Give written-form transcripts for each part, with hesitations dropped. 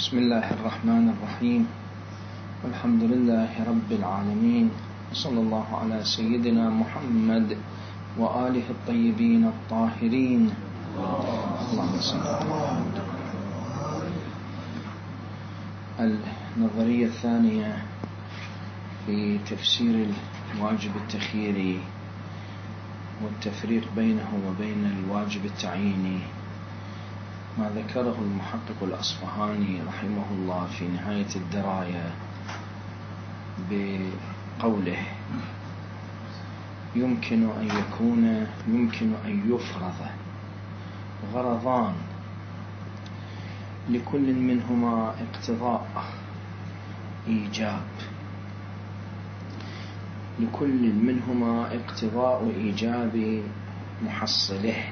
بسم الله الرحمن الرحيم، والحمد لله رب العالمين، وصلى الله على سيدنا محمد وآله الطيبين الطاهرين. اللهم صل على محمد. النظرية الثانية في تفسير الواجب التخييري والتفريق بينه وبين الواجب التعييني، ما ذكره المحقق الأصفهاني رحمه الله في نهاية الدراية بقوله: يمكن أن يفرض غرضان لكل منهما اقتضاء إيجاب محصله.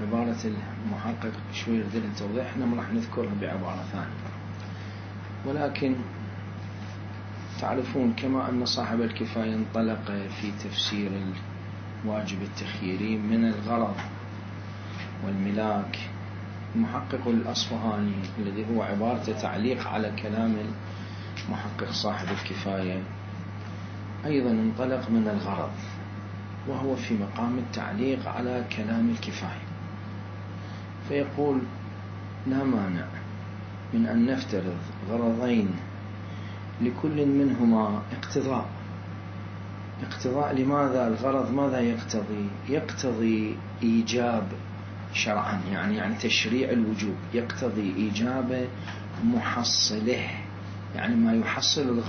عبارة المحقق شوي يريد التوضيح، احنا ما راح نذكرها بعبارة ثانية، ولكن تعرفون كما أن صاحب الكفاية انطلق في تفسير الواجب التخييري من الغرض والملاك، المحقق الأصفهاني الذي هو عبارة تعليق على كلام المحقق صاحب الكفاية أيضا انطلق من الغرض، وهو في مقام التعليق على كلام الكفاية، فيقول: لا مانع من أن نفترض غرضين لكل منهما اقتضاء. لماذا الغرض ماذا يقتضي؟ يقتضي إيجاب شرعا، يعني تشريع الوجوب، يقتضي إيجاب محصله، يعني ما يحصل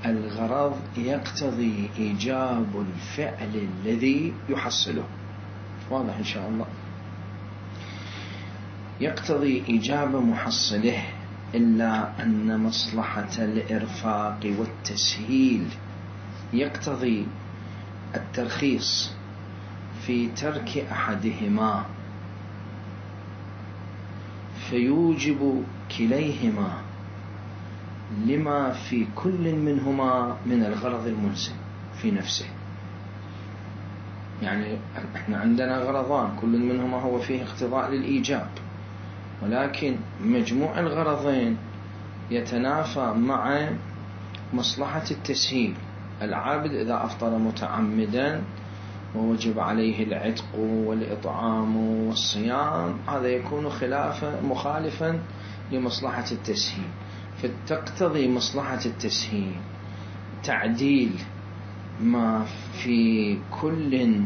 الغرض يقتضي إيجاب الفعل الذي يحصله. واضح إن شاء الله؟ يقتضي إيجاب محصله، إلا أن مصلحة الإرفاق والتسهيل يقتضي الترخيص في ترك أحدهما، فيوجب كليهما لما في كل منهما من الغرض الملزم في نفسه. يعني احنا عندنا غرضان، كل منهما هو فيه اقتضاء للإيجاب، ولكن مجموع الغرضين يتنافى مع مصلحة التسهيل. العابد إذا أفطر متعمدا ووجب عليه العتق والإطعام والصيام، هذا يكون مخالفا لمصلحة التسهيل، فتقتضي مصلحة التسهيل تعديل ما في كل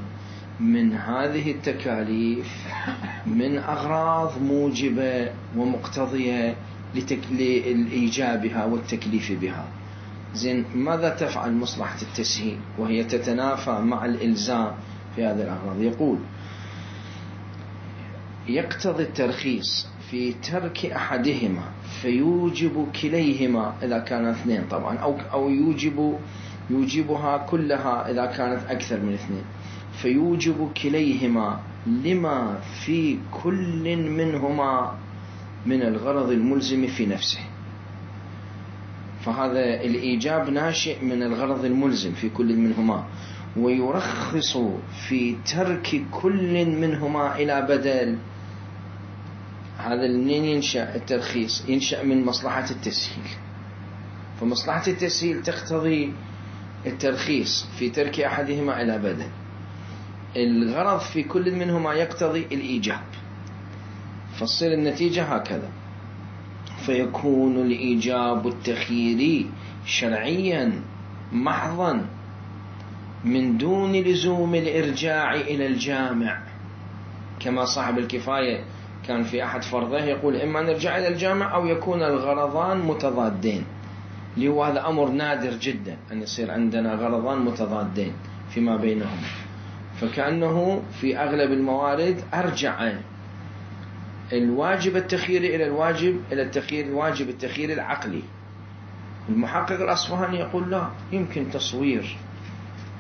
من هذه التكاليف من أغراض موجبة ومقتضية لإيجابها والتكليف بها. زين، ماذا تفعل مصلحة التسهيل وهي تتنافى مع الإلزام في هذه الأغراض؟ يقول: يقتضي الترخيص في ترك أحدهما فيوجب كليهما إذا كان اثنين طبعا، أو يوجبها كلها إذا كانت أكثر من اثنين، فيوجب كليهما لما في كل منهما من الغرض الملزم في نفسه. فهذا الإيجاب ناشئ من الغرض الملزم في كل منهما، ويرخص في ترك كل منهما إلى بدل. هذا منين ينشأ الترخيص؟ ينشأ من مصلحة التسهيل، فمصلحة التسهيل تقتضي الترخيص في ترك أحدهما إلى بدل. الغرض في كل منهما يقتضي الإيجاب، فتصير النتيجة هكذا، فيكون الإيجاب التخييري شرعيا محضا من دون لزوم الإرجاع إلى الجامع، كما صاحب الكفاية كان في أحد فرضه يقول: إما نرجع إلى الجامع أو يكون الغرضان متضادين، اللي هذا أمر نادر جدا أن يصير عندنا غرضان متضادين فيما بينهم، فكأنه في أغلب الموارد أرجع الواجب التخييري إلى الواجب التخييري العقلي. المحقق الأصفهاني يقول: لا، يمكن تصوير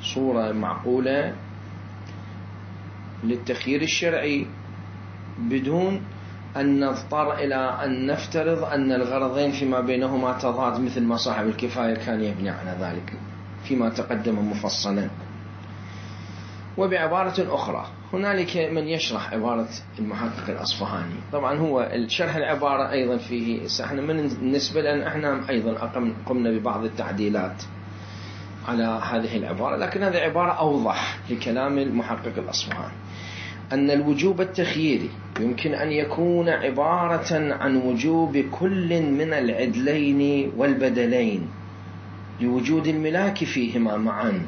صورة معقولة للتخيير الشرعي بدون أن نضطر إلى أن نفترض أن الغرضين فيما بينهما تضاد، مثل ما صاحب الكفاية كان يبني على ذلك فيما تقدم مفصلا. وبعبارة أخرى، هنالك من يشرح عبارة المحقق الأصفهاني. طبعا هو شرح العبارة أيضا فيه احنا من النسبة لأن احنا أيضا قمنا ببعض التعديلات على هذه العبارة، لكن هذه عبارة أوضح لكلام المحقق الأصفهاني، أن الوجوب التخييري يمكن أن يكون عبارة عن وجوب كل من العدلين والبدلين لوجود الملاك فيهما معا،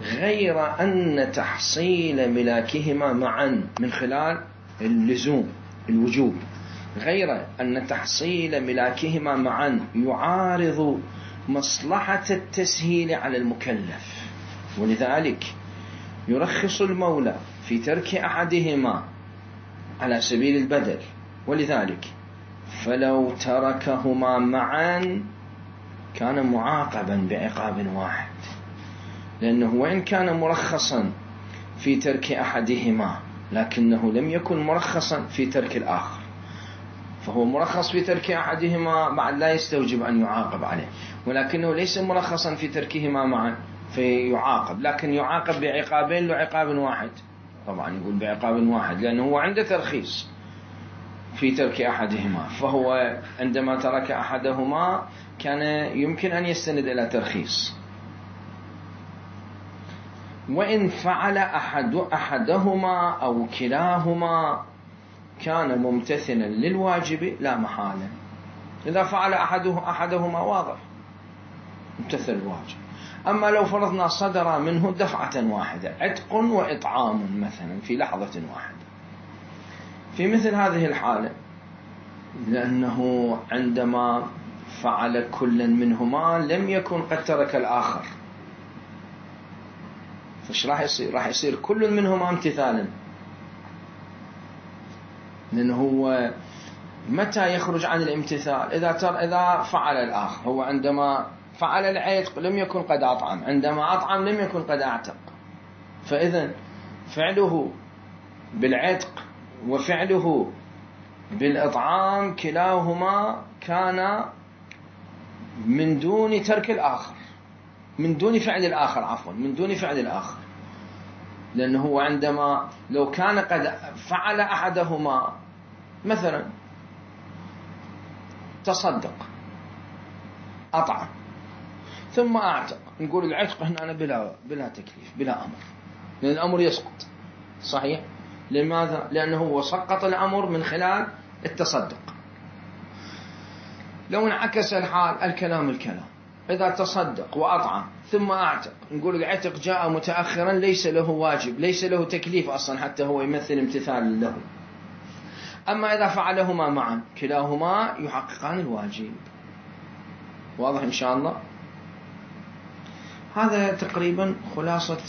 غير أن تحصيل ملاكهما معا من خلال اللزوم الوجوب، غير أن تحصيل ملاكهما معا يعارض مصلحة التسهيل على المكلف، ولذلك يرخص المولى في ترك أحدهما على سبيل البدل، ولذلك فلو تركهما معا كان معاقبا بعقاب واحد، لأنه وإن كان مرخصا في ترك أحدهما لكنه لم يكن مرخصا في ترك الآخر، فهو مرخص في ترك أحدهما بعد لا يستوجب أن يعاقب عليه، ولكنه ليس مرخصا في تركهما معا فيعاقب، لكن يعاقب بعقابين لعقاب واحد. طبعا يقول بعقاب واحد لأنه هو عنده ترخيص في ترك أحدهما، فهو عندما ترك أحدهما كان يمكن أن يستند إلى ترخيص، وإن فعل أحدهما أو كلاهما كان ممتثلا للواجب لا محالة. إذا فعل أحدهما واضح امتثل الواجب. أما لو فرضنا صدر منه دفعة واحدة عتق وإطعام مثلا في لحظة واحدة، في مثل هذه الحالة لأنه عندما فعل كل منهما لم يكن قد ترك الآخر، فش راح يصير؟ راح يصير كل منهما امتثالا، لأنه هو متى يخرج عن الامتثال؟ إذا فعل الآخر، هو عندما فعل العتق لم يكن قد أطعم، عندما أطعم لم يكن قد أعتق، فإذن فعله بالعتق وفعله بالإطعام كلاهما كان من دون ترك الآخر، من دون فعل الآخر، عفوا من دون فعل الآخر، لأنه هو عندما لو كان قد فعل أحدهما مثلا تصدق أطعم ثم أعتق، نقول العتق هنا بلا تكليف بلا أمر، لأن الأمر يسقط. صحيح؟ لماذا؟ لأنه هو سقط الأمر من خلال التصدق. لو انعكس الحال الكلام إذا تصدق وأطعم ثم أعتق، نقول العتق جاء متأخرا ليس له واجب، ليس له تكليف أصلا حتى هو يمثل امتثال له. أما إذا فعلهما معا كلاهما يحققان الواجب. واضح إن شاء الله؟ هذا تقريبا خلاصة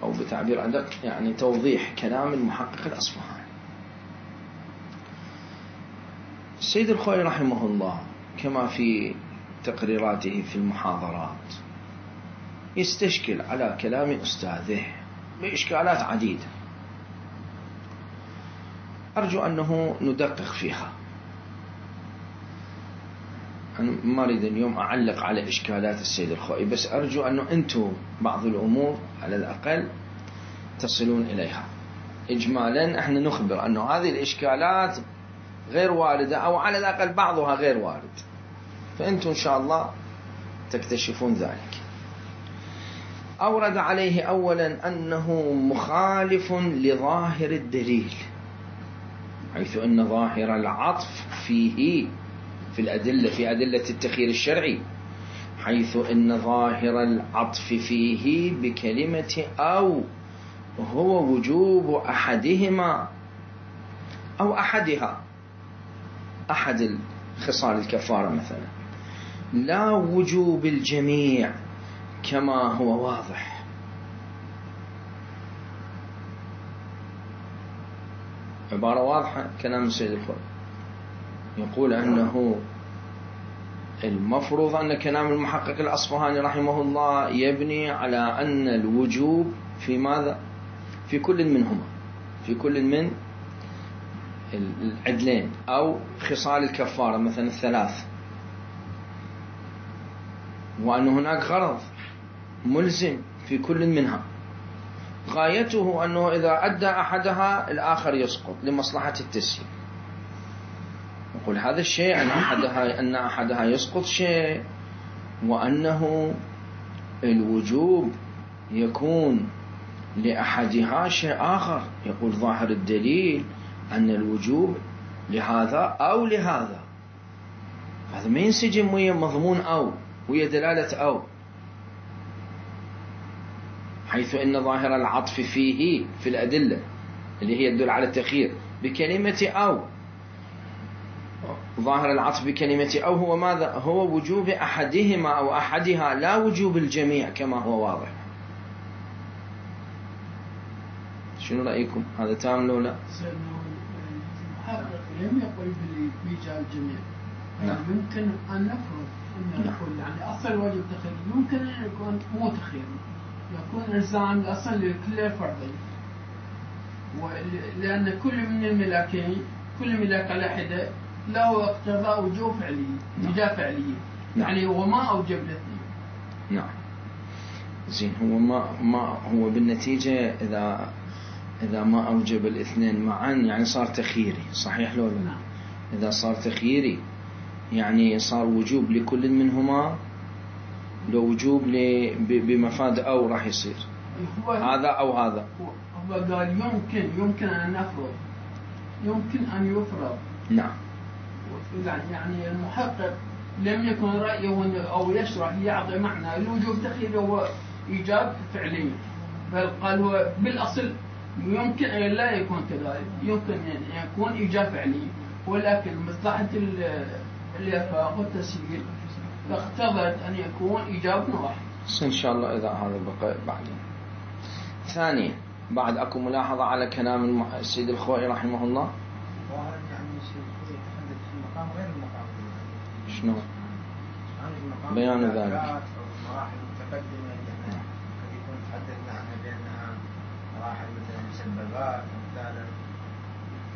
أو بتعبير أدق يعني توضيح كلام المحقق الأصفهاني. السيد الخوئي رحمه الله كما في تقريراته في المحاضرات يستشكل على كلام أستاذه بإشكالات عديدة، أرجو أنه ندقق فيها. أنا ما أريد اليوم أعلق على إشكالات السيد الخوئي، بس أرجو أنه أنتم بعض الأمور على الأقل تصلون إليها. إجمالا احنا نخبر أنه هذه الإشكالات غير واردة، أو على الأقل بعضها غير وارد، فأنتم إن شاء الله تكتشفون ذلك. أورد عليه أولا أنه مخالف لظاهر الدليل، حيث أن ظاهر العطف فيه في الأدلة، في أدلة التخيير الشرعي، حيث أن ظاهر العطف فيه بكلمة أو هو وجوب أحدهما أو أحدها، أحد خصال الكفارة مثلا، لا وجوب الجميع كما هو واضح. عبارة واضحة كلام السيد الخوئي، يقول أنه المفروض أن كلام المحقق الأصفهاني رحمه الله يبني على أن الوجوب في ماذا؟ في كل منهما، في كل من العدلين أو خصال الكفارة مثلا الثلاث، وأن هناك غرض ملزم في كل منها، غايته أنه إذا أدى أحدها الآخر يسقط لمصلحة التسهيل. يقول هذا الشيء أن أحدها يسقط شيء، وأنه الوجوب يكون لأحدها شيء آخر. يقول ظاهر الدليل أن الوجوب لهذا أو لهذا، هذا ما ينسجم ويا مضمون أو ويا دلالة أو، حيث أن ظاهر العطف فيه في الأدلة اللي هي تدل على التخيير بكلمة أو، ظاهر العطف بكلمة أو هو ماذا؟ هو وجوب أحدهما أو أحدها، لا وجوب الجميع كما هو واضح. شنو رأيكم؟ هذا تام لو لا؟ المحقق لم يقل بإيجاب الجميع. نعم. يمكن أن نفرض أن نقول يعني أصل واجب تخيير يمكن أن يكون مو تخيير، يكون إلزام الأصل لكل الفرضين، لأن كل من الملاكين كل ملاك على حدة له اقتضاء وجوب فعلية إيجاب فعلية. يعني هو ما أوجب الاثنين. نعم. زين، هو ما هو بالنتيجة إذا ما أوجب الاثنين معا يعني صار تخييري، صحيح لو لا؟ نعم. إذا صار تخييري يعني صار وجوب لكل منهما، لو وجوب بمفاد أو راح يصير هذا أو هذا. هو قال يمكن أن نفرض، يمكن أن يفرض. نعم. يعني المحقق لم يكن رأيه أو يشرح يعطي معنى الوجوب تخيير هو إيجاب فعلي، بل قال هو بالأصل يمكن أن لا يكون كذلك، يمكن أن يكون إيجاب فعلي، ولكن مصلحة الإرفاق والتسهيل اقتضت أن يكون إيجاب واحد. إن شاء الله إذا هذا بقى بعدين. ثانيا، بعد أكو ملاحظة على كلام السيد الخوئي رحمه الله. غير المقام. شنو؟ بيان ذلك. مراحل متقدمة يعني قد يكون تحدثنا عنها بأنها مراحل مثلا مسببات ومثالا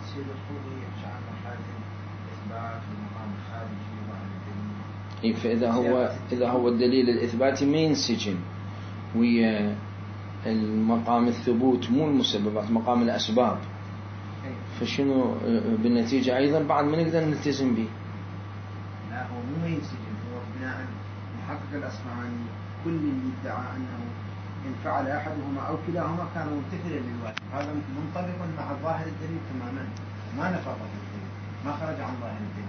تصير الخوضي يخشى عن مرحلة الإثبات والمقام الخارجي وعن الدليل. فإذا هو الدليل الإثباتي ما ينسجم ويا المقام الثبوت، مو المسببات، مقام الأسباب، فشنو بالنتيجة أيضا بعد ما نقدر نلتزم به. لا، هو مو ينسجم، هو بناء محقق الأصفهاني كل اللي ادعى أنه إن فعل أحدهما أو كلاهما كان ممتثلا للواجب، هذا منطبق مع ظاهر الدليل تماما، ما نفرط الدليل، ما خرج عن ظاهر الدليل.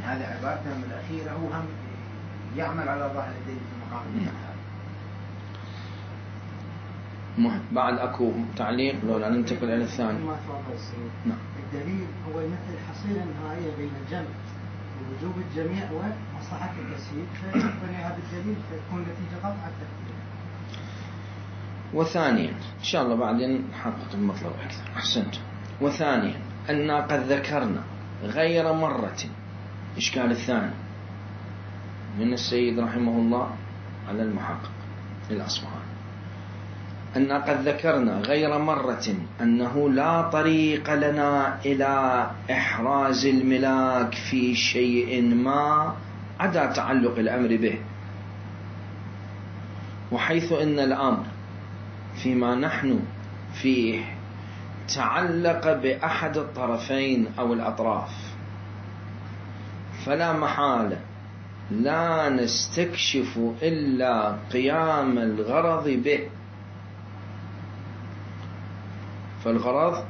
يعني هذه عبارته من الأخيرة هو هم يعمل على ظاهر الدليل في مقام الإثبات. بعد أكو تعليق لو لا ننتقل إلى الثاني. نعم. الدليل هو يمثل الحصيلة النهائية بين الجمع ووجوب الجميع ومصلحة التسهيل، فبناء بالدليل فتكون نتيجة قطع التكفير. وثانيا إن شاء الله بعدين نحقق المطلب أكثر. أحسنت. وثانيا أننا قد ذكرنا غير مرة، إشكال الثاني من السيد رحمه الله على المحقق الأصفهاني، أن قد ذكرنا غير مرة أنه لا طريق لنا إلى إحراز الملاك في شيء ما عدا تعلق الأمر به، وحيث أن الأمر فيما نحن فيه تعلق بأحد الطرفين أو الأطراف، فلا محالة لا نستكشف إلا قيام الغرض به. فالغرض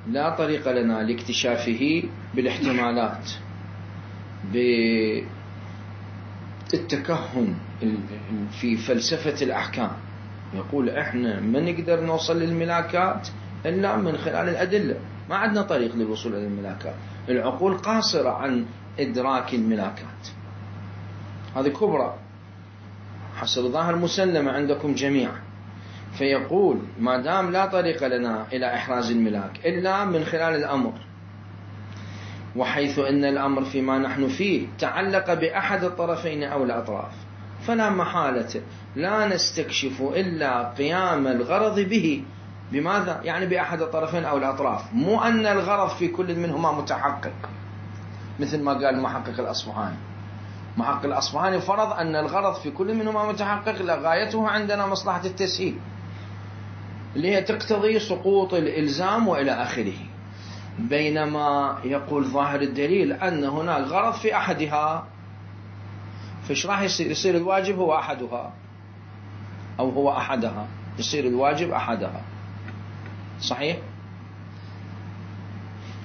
لا طريق لنا لاكتشافه بالاحتمالات، بالتكهن في فلسفة الأحكام. يقول إحنا ما نقدر نوصل للملاكات إلا من خلال الأدلة، ما عندنا طريق للوصول إلى الملاكات، العقول قاصرة عن إدراك الملاكات. هذه كبرى حسب ظاهر مسلمة عندكم جميعا. فيقول ما دام لا طريق لنا إلى إحراز الملاك إلا من خلال الأمر، وحيث أن الأمر فيما نحن فيه تعلق بأحد الطرفين أو الأطراف، فلا محالة لا نستكشف إلا قيام الغرض به. بماذا؟ يعني بأحد الطرفين أو الأطراف، مو أن الغرض في كل منهما متحقق مثل ما قال المحقق الأصفهاني. محقق الأصفهاني فرض أن الغرض في كل منهما متحقق، لغايته عندنا مصلحة التسهيل، اللي هي تقتضي سقوط الإلزام وإلى آخره. بينما يقول ظاهر الدليل أن هناك غرض في أحدها، فإيش راح يصير الواجب هو أحدها، أو هو أحدها، يصير الواجب أحدها. صحيح؟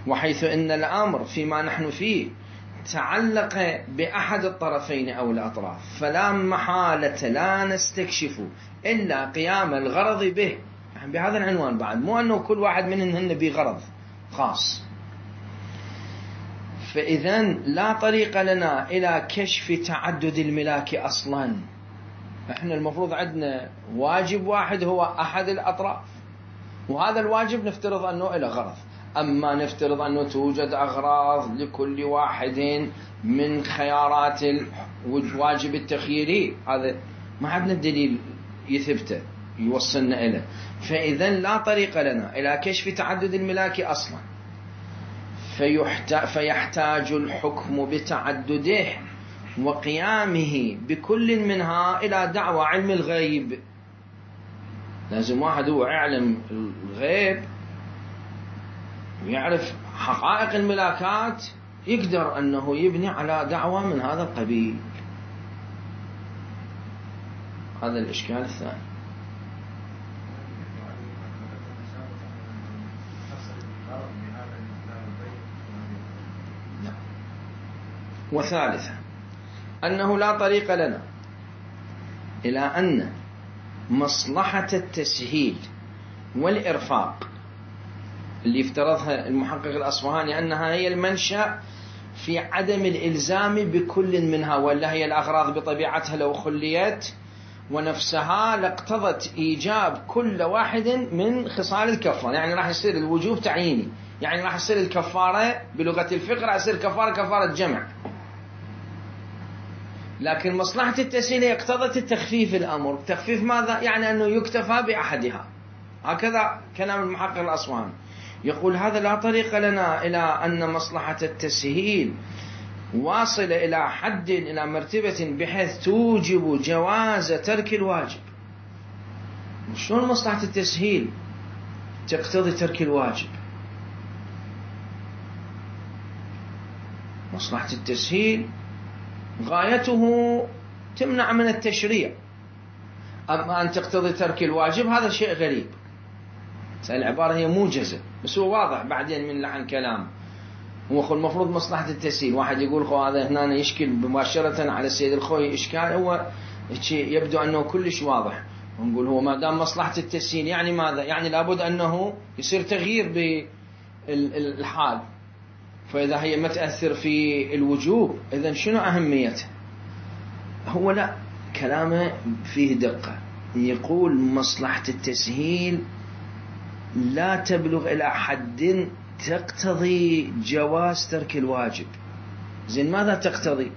وحيث إن الأمر فيما نحن فيه تعلق بأحد الطرفين أو الأطراف، فلا محالة لا نستكشف إلا قيام الغرض به، يعني بهذا العنوان بعد، مو أنه كل واحد منهن بغرض خاص. فإذن لا طريق لنا إلى كشف تعدد الملاك أصلا. إحنا المفروض عندنا واجب واحد هو أحد الأطراف، وهذا الواجب نفترض أنه إلى غرض. أما نفترض أنه توجد أغراض لكل واحد من خيارات الواجب التخييري، هذا ما عندنا الدليل يثبته يوصلنا إليه. فإذن لا طريق لنا إلى كشف تعدد الملاك أصلا، فيحتاج الحكم بتعدده وقيامه بكل منها إلى دعوى علم الغيب. لازم واحد هو يعلم الغيب ويعرف حقائق الملاكات يقدر أنه يبني على دعوى من هذا القبيل. هذا الإشكال الثاني. وثالثا أنه لا طريق لنا إلى أن مصلحة التسهيل والإرفاق اللي افترضها المحقق الأصفهاني أنها هي المنشأ في عدم الإلزام بكل منها، ولا هي الأغراض بطبيعتها لو خليت ونفسها لاقتضت إيجاب كل واحد من خصال الكفارة. يعني راح يصير الوجوب تعييني، يعني راح يصير الكفارة بلغة الفقه راح يصير كفارة جمع. لكن مصلحة التسهيل اقتضت التخفيف الأمر. تخفيف ماذا؟ يعني أنه يكتفى بأحدها. هكذا كلام المحقق الأصفهاني. يقول هذا لا طريق لنا إلى أن مصلحة التسهيل واصلة إلى حد، إلى مرتبة بحيث توجب جواز ترك الواجب. شلون مصلحة التسهيل تقتضي ترك الواجب؟ مصلحة التسهيل غايته تمنع من التشريع، أما أن تقتضي ترك الواجب هذا شيء غريب. العبارة هي موجزة بس هو واضح بعدين من لحن كلام. هو المفروض مصلحة التسهيل، واحد يقول هذا هنا يشكل مباشرة على السيد الخوي إشكال، هو يبدو أنه كلش واضح. ونقول هو ما دام مصلحة التسهيل يعني ماذا؟ يعني لابد أنه يصير تغيير بالحال، فإذا هي ما تأثر في الوجوب إذن شنو أهميته؟ هو لا، كلامه فيه دقة. يقول مصلحة التسهيل لا تبلغ إلى حد تقتضي جواز ترك الواجب. زين ماذا تقتضي؟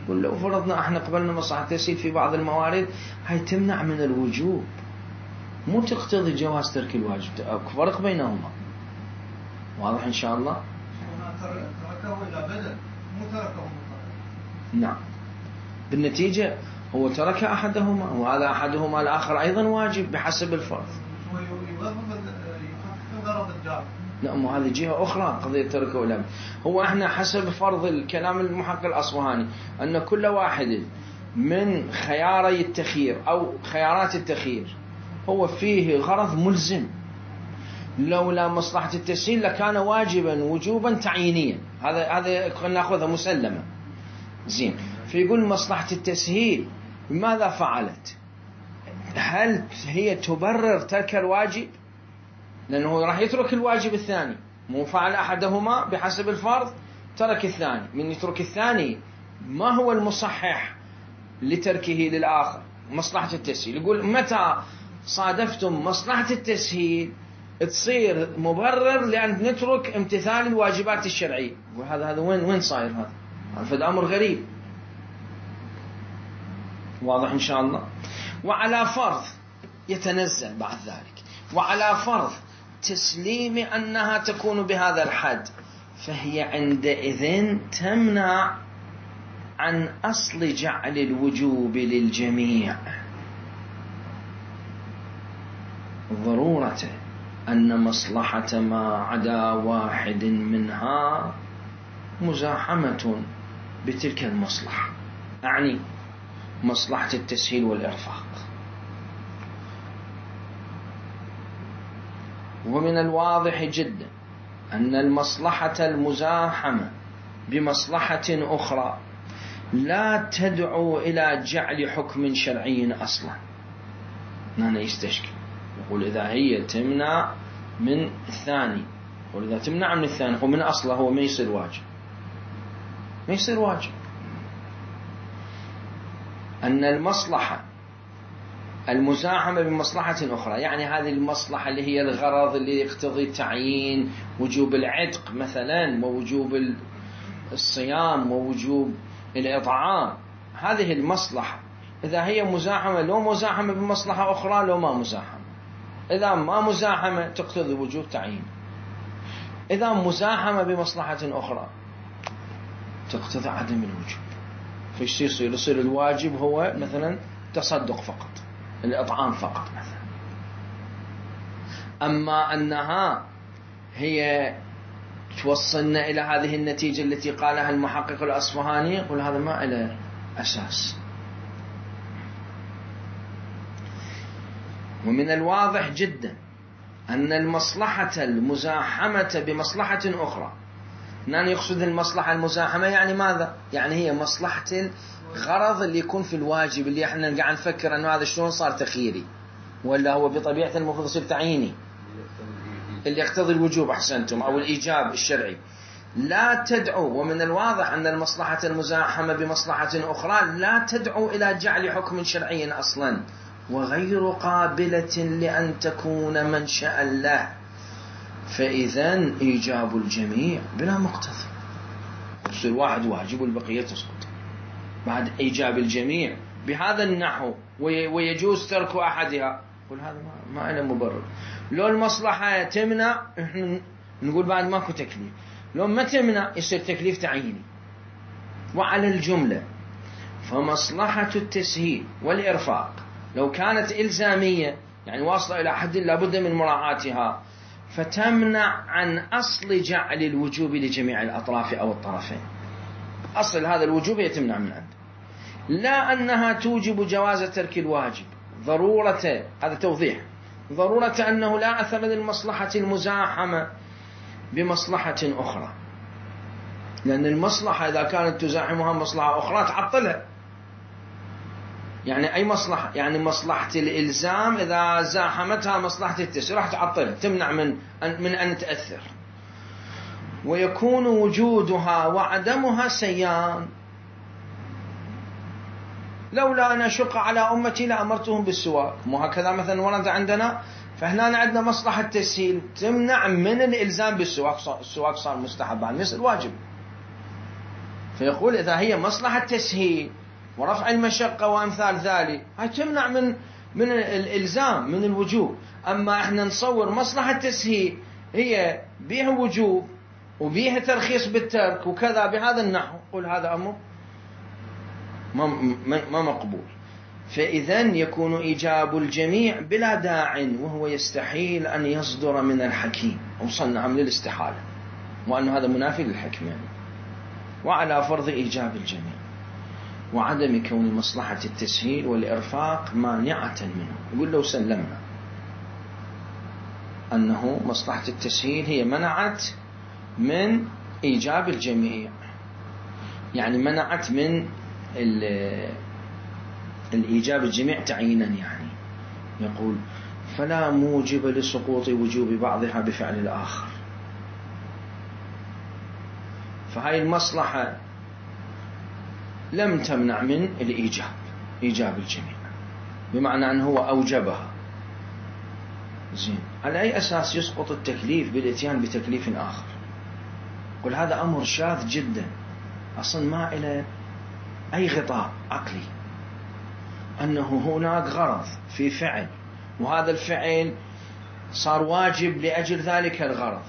قل لو فرضنا احنا قبلنا مصلحة التسهيل في بعض الموارد هاي تمنع من الوجوب، مو تقتضي جواز ترك الواجب. فرق بينهما واضح إن شاء الله؟ تركه إلى بدل مو تركه مطلقا. نعم، بالنتيجة هو ترك أحدهما وهذا أحدهما الآخر أيضا واجب بحسب الفرض. غرض الجار. نعم، وهذه جهة أخرى قضية تركه ولا. هو احنا حسب فرض الكلام المحقق الأصفهاني أن كل واحد من خياري التخيير أو خيارات التخيير هو فيه غرض ملزم، لولا مصلحة التسهيل لكان واجبا وجوبا تعيينيا. هذا ناخذها مسلمة. زين، فيقول مصلحة التسهيل ماذا فعلت؟ هل هي تبرر ترك الواجب؟ لأنه راح يترك الواجب الثاني، مو فعل أحدهما بحسب الفرض ترك الثاني. من يترك الثاني ما هو المصحح لتركه للآخر؟ مصلحة التسهيل. يقول متى صادفتم مصلحة التسهيل تصير مبرر لأن نترك امتثال الواجبات الشرعية. وهذا وين صاير هذا؟ هذا أمر غريب. واضح إن شاء الله؟ وعلى فرض يتنزل بعد ذلك، وعلى فرض تسليم أنها تكون بهذا الحد، فهي عندئذ تمنع عن أصل جعل الوجوب للجميع. ضرورة أن مصلحة ما عدا واحد منها مزاحمة بتلك المصلحة، أعني مصلحة التسهيل والإرفاق. ومن الواضح جدا أن المصلحة المزاحمة بمصلحة أخرى لا تدعو إلى جعل حكم شرعي أصلا. هنا يستشكل، يقول إذا هي تمنع من الثاني، يقول إذا تمنع من الثاني ومن أصله هو ما يصير واجب، ما يصير واجب. أن المصلحة المزاحمة بمصلحة أخرى، يعني هذه المصلحة اللي هي الغرض اللي يقتضي تعيين وجوب العتق مثلا ووجوب الصيام ووجوب الإطعام، هذه المصلحة إذا هي مزاحمة، لو مزاحمة بمصلحة أخرى لو ما مزاحمة، إذا ما مزاحمة تقتضي وجوب تعيين، إذا مزاحمة بمصلحة أخرى تقتضي عدم الوجوب. فيش يصير الواجب هو مثلا تصدق فقط، الإطعام فقط مثلا. أما أنها هي توصلنا إلى هذه النتيجة التي قالها المحقق الأصفهاني، يقول هذا ما له أساس. ومن الواضح جدا أن المصلحة المزاحمة بمصلحة أخرى، يعني يقصد المصلحة المزاحمة يعني ماذا؟ يعني هي مصلحة الغرض اللي يكون في الواجب، اللي احنا قاعد نفكر أنه هذا شلون صار تخييري ولا هو بطبيعة المفروض يصير تعييني، اللي يقتضي الوجوب أحسنتم أو الإيجاب الشرعي، لا تدعو. ومن الواضح أن المصلحة المزاحمة بمصلحة أخرى لا تدعو إلى جعل حكم شرعي أصلا، وغير قابلة لأن تكون منشأ له، فإذن إيجاب الجميع بلا مقتضى، يصير واحد واجب والبقية تسقط بعد إيجاب الجميع بهذا النحو، ويجوز ترك أحدها. قل هذا ما له مبرر. لو المصلحة تمنع إحنا نقول بعد ماكو تكليف، لو ما تمنع يصير تكليف تعييني. وعلى الجملة فمصلحة التسهيل والإرفاق لو كانت إلزامية، يعني واصلة إلى حد لابد من مراعاتها، فتمنع عن أصل جعل الوجوب لجميع الأطراف أو الطرفين. أصل هذا الوجوب هي تمنع من عنده، لا أنها توجب جواز ترك الواجب. ضرورة، هذا توضيح، ضرورة أنه لا أثر للمصلحة المزاحمة بمصلحة أخرى، لأن المصلحة إذا كانت تزاحمها مصلحة أخرى تعطلها. يعني أي مصلحة؟ يعني مصلحة الإلزام إذا زاحمتها مصلحة التسهيل راح تعطلها، تمنع من أن تأثر، ويكون وجودها وعدمها سيان. لولا أن أشق على أمتي لأمرتهم بالسواك، مو هكذا مثلا ورد عندنا؟ فهنا عندنا مصلحة تسهيل تمنع من الإلزام بالسواك، السواك صار مستحب عن مثل واجب. فيقول إذا هي مصلحة تسهيل ورفع المشقة وأمثال ذلك، هاي تمنع من الإلزام من الوجوب. أما إحنا نصور مصلحة تسهيل هي بيها وجوب وبيها ترخيص بالترك وكذا بهذا النحو، قل هذا أمر ما مقبول. فإذن يكون إيجاب الجميع بلا داع، وهو يستحيل أن يصدر من الحكيم، وصلنا عمل الاستحالة، وأن هذا منافي للحكم يعني. وعلى فرض إيجاب الجميع وعدم كون مصلحة التسهيل والإرفاق مانعة منه، يقول لو سلمنا أنه مصلحة التسهيل هي منعت من إيجاب الجميع، يعني منعت من الإيجاب الجميع تعيينا، يعني يقول فلا موجب لسقوط وجوب بعضها بفعل الآخر. فهاي المصلحة لم تمنع من إيجاب الجميع، بمعنى أنه هو أوجبها. زين، على أي أساس يسقط التكليف بالإتيان بتكليف آخر؟ قل هذا أمر شاذ جدا، أصلا ما إلى أي غطاء عقلي، أنه هناك غرض في فعل، وهذا الفعل صار واجب لأجل ذلك الغرض،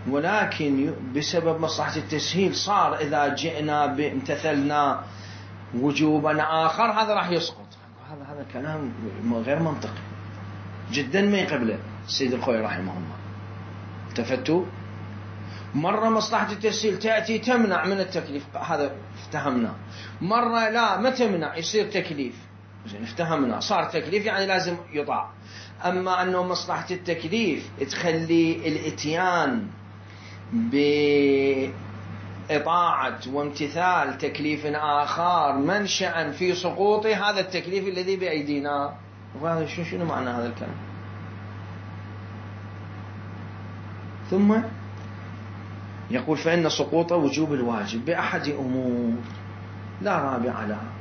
ولكن بسبب مصلحة التسهيل صار إذا جئنا بامتثلنا وجوبا آخر هذا راح يسقط. هذا كلام غير منطقي جدا ما يقبله السيد الخوي رحمه الله. التفتوا؟ مرة مصلحة التسهيل تأتي تمنع من التكليف، هذا افتهمنا. مرة لا ما تمنع يصير تكليف، زين افتهمنا، صار تكليف يعني لازم يطاع. أما أنه مصلحة التكليف تخلي الاتيان بإطاعة وامتثال تكليف آخر منشأ في سقوط هذا التكليف الذي بأيدينا. وهذا شنو معنى هذا الكلام؟ ثم يقول فإن سقوط وجوب الواجب بأحد أمور لا رابع لها.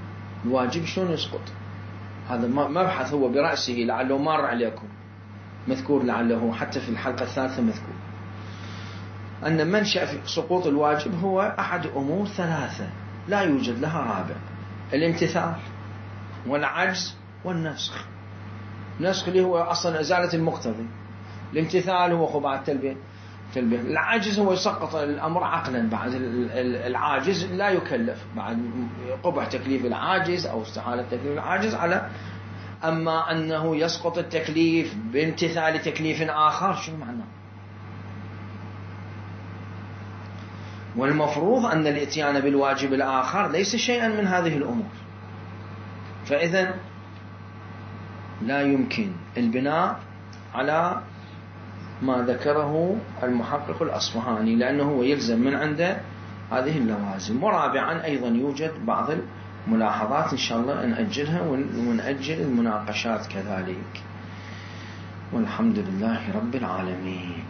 الواجب شلون يسقط؟ هذا مبحث هو برأسه، لعله مر عليكم مذكور، لعله حتى في الحلقة الثالثة مذكور، أن منشأ في سقوط الواجب هو أحد أمور ثلاثة لا يوجد لها رابع: الامتثال والعجز والنسخ. النسخ اللي هو أصلا إزالة المقتضي، الامتثال هو خضاع التلبية. العاجز هو يسقط الأمر عقلا، بعد العاجز لا يكلف، بعد قبح تكليف العاجز أو استحالة تكليف العاجز على. أما أنه يسقط التكليف بامتثال تكليف آخر، شو معناه؟ والمفروض أن الاتيان بالواجب الآخر ليس شيئا من هذه الأمور، فإذا لا يمكن البناء على ما ذكره المحقق الأصفهاني، لأنه هو يلزم من عنده هذه اللوازم. ورابعا أيضا يوجد بعض الملاحظات إن شاء الله نأجلها ونأجل المناقشات كذلك. والحمد لله رب العالمين.